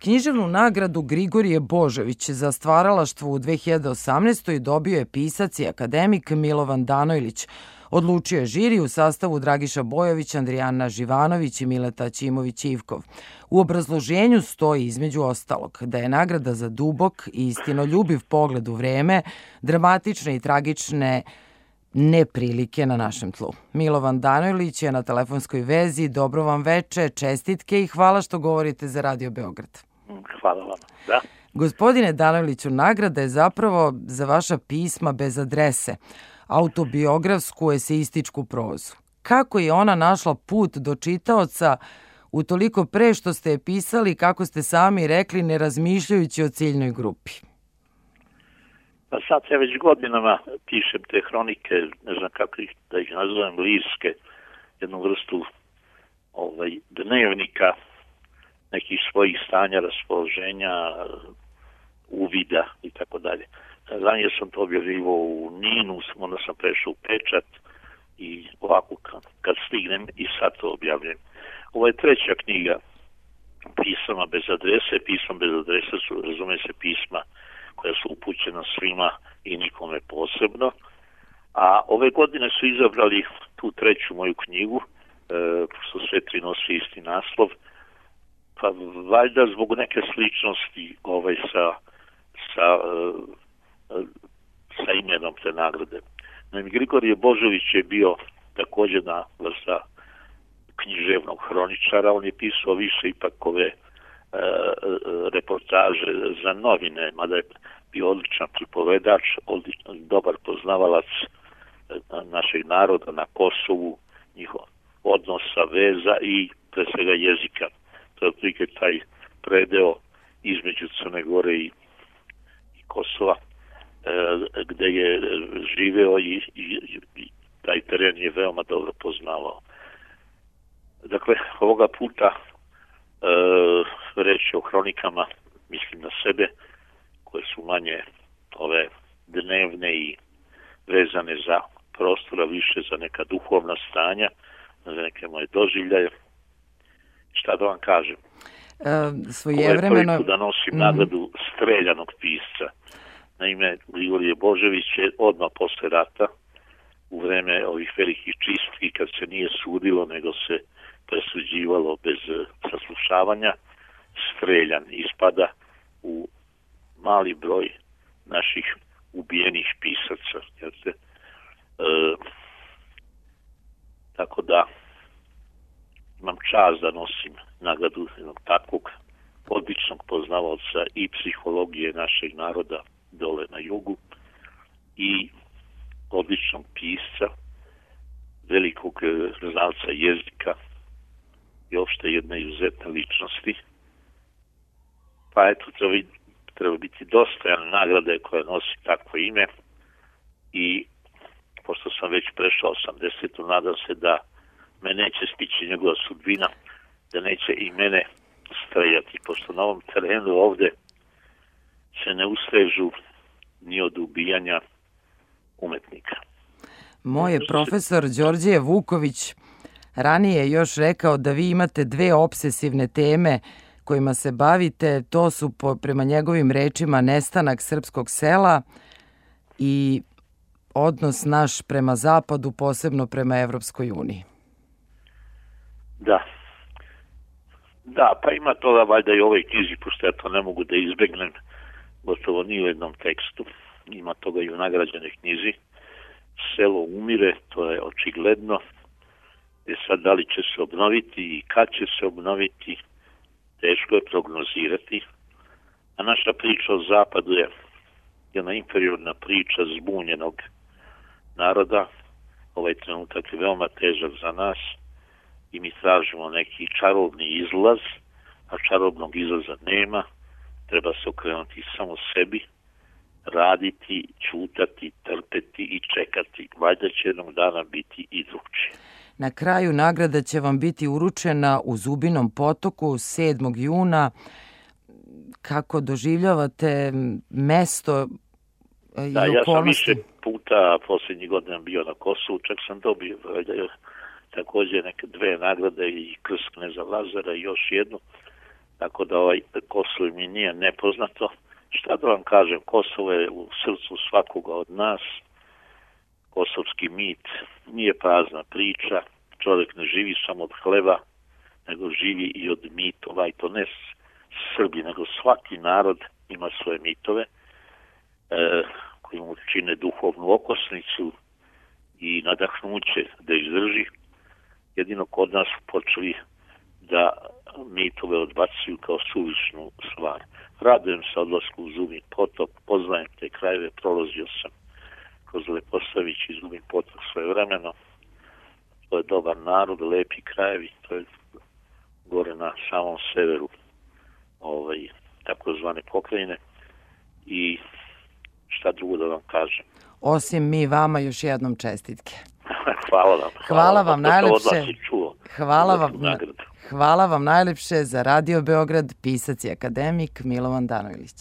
Književnu nagradu Grigorije Božović za stvaralaštvo u 2018. dobio je pisac i akademik Milovan Danojlić. Odlučio je žiri u sastavu Dragiša Bojović, Andrijana Živanović i Mileta Ćimović-Ivkov. U obrazloženju stoji između ostalog da je nagrada za dubok i istinoljubiv pogled u vreme, dramatične i tragične neprilike na našem tlu. Milovan Danojlić je na telefonskoj vezi. Dobro vam veče, čestitke i hvala što govorite za Radio Beograd. Hvala vam. Da. Gospodine Danojliću, nagrada je zapravo za vaša pisma bez adrese, autobiografsku eseističku prozu. Kako je ona našla put do čitaoca utoliko pre što ste je pisali, kako ste sami rekli, ne razmišljajući o ciljnoj grupi? Pa sad ja već godinama pišem te hronike, ne znam kako da ih nazovem, lirske, jednu vrstu dnevnika, nekih svojih stanja, raspoloženja, uvida i tako dalje. Ranije sam to objavljivao u Ninu, onda sam prešao u Pečat i ovako kad stignem i sad to objavljam. Ovo je treća knjiga pisama bez adrese. Pisma bez adrese su, razume se, pisma koja su upućena svima i nikome posebno. A ove godine su izabrali tu treću moju knjigu, što sve tri nosi isti naslov, pa valjda zbog neke sličnosti sa imenom te nagrade. Naime, Grigorije Božović je bio također na vrsta književnog hroničara. On je pisao više ipak ove reportaže za novine, mada je bio odličan pripovedač, dobar poznavalac našeg naroda na Kosovu, njihov odnosa, veza i pre svega jezika. To je otprilike taj predeo između Crne Gore i Kosova, gde je živeo i taj teren je veoma dobro poznavao. Dakle, ovoga puta reći o hronikama, mislim na sebe, koje su manje ove dnevne i vezane za prostora, više za neka duhovna stanja, za neke moje doživljaje. Šta da vam kažem? Svojevremeno... Ovo je prvi put da nosim nagradu streljanog pisca. Naime, Grigorije Božović je odmah posle rata, u vreme ovih velikih čistki, kad se nije sudilo, nego se presuđivalo bez saslušavanja, streljan, ispada u mali broj naših ubijenih pisaca. Tako da imam čast da nosim nagradu jednog takvog odličnog poznavaoca i psihologije našeg naroda dole na jugu i odličnog pisca, velikog znalca jezika i uopšte jedne izuzetne ličnosti. Pa eto, treba biti dostojan nagrade koja nosi takvo ime i pošto sam već prešao 80, nadam se da me neće stići njegova sudbina, da neće i mene streljati, pošto na ovom terenu ovde se ne ustrežu ni od ubijanja umetnika. Moj je profesor Đorđe Vuković ranije još rekao da vi imate dve obsesivne teme kojima se bavite. To su, prema njegovim rečima, nestanak srpskog sela i odnos naš prema zapadu, posebno prema Evropskoj uniji. Da, pa ima toga valjda i u ovoj knjizi, pošto ja to ne mogu da izbegnem gotovo ni u jednom tekstu. Ima toga i u nagrađenoj knjizi. Selo umire, to je očigledno. Sad, da li će se obnoviti i kad će se obnoviti, teško je prognozirati. A naša priča o zapadu je jedna inferiorna priča zbunjenog naroda. Ovaj trenutak je veoma težak za nas i mi tražimo neki čarobni izlaz, a čarobnog izlaza nema. Treba se okrenuti samo sebi, raditi, ćutati, trpeti i čekati. Valjda će jednog dana biti i drugčije. Na kraju nagrada će vam biti uručena u Zubinom Potoku 7. juna. Kako doživljavate mesto i okolnosti? Ja sam više puta posljednjih godina bio na Kosovu, čak sam dobio također neke dve nagrade i Krst kneza Lazara i još jednu. tako da Kosovo mi nije nepoznato. Šta da vam kažem, Kosovo je u srcu svakoga od nas. Kosovski mit nije prazna priča, čovjek ne živi samo od hleba, nego živi i od mitova, i to ne Srbi, nego svaki narod ima svoje mitove koji mu čine duhovnu okosnicu i nadahnuće da izdrži. Jedino kod nas počeli da mitove odbacuju kao suvišnu stvar. Radujem se odlasku u Zubin potok, poznajem te krajeve, prolazio sam kroz Leposavić i Zubin potok svojevremeno. To je dobar narod, lepi krajevi, to je gore na samom severu takozvane pokrajine, i šta drugo da vam kažem. Osim mi vama još jednom čestitke. Hvala vam. Hvala vam najlepše. Hvala vam najlepše za Radio Beograd, pisac i akademik Milovan Danojlić.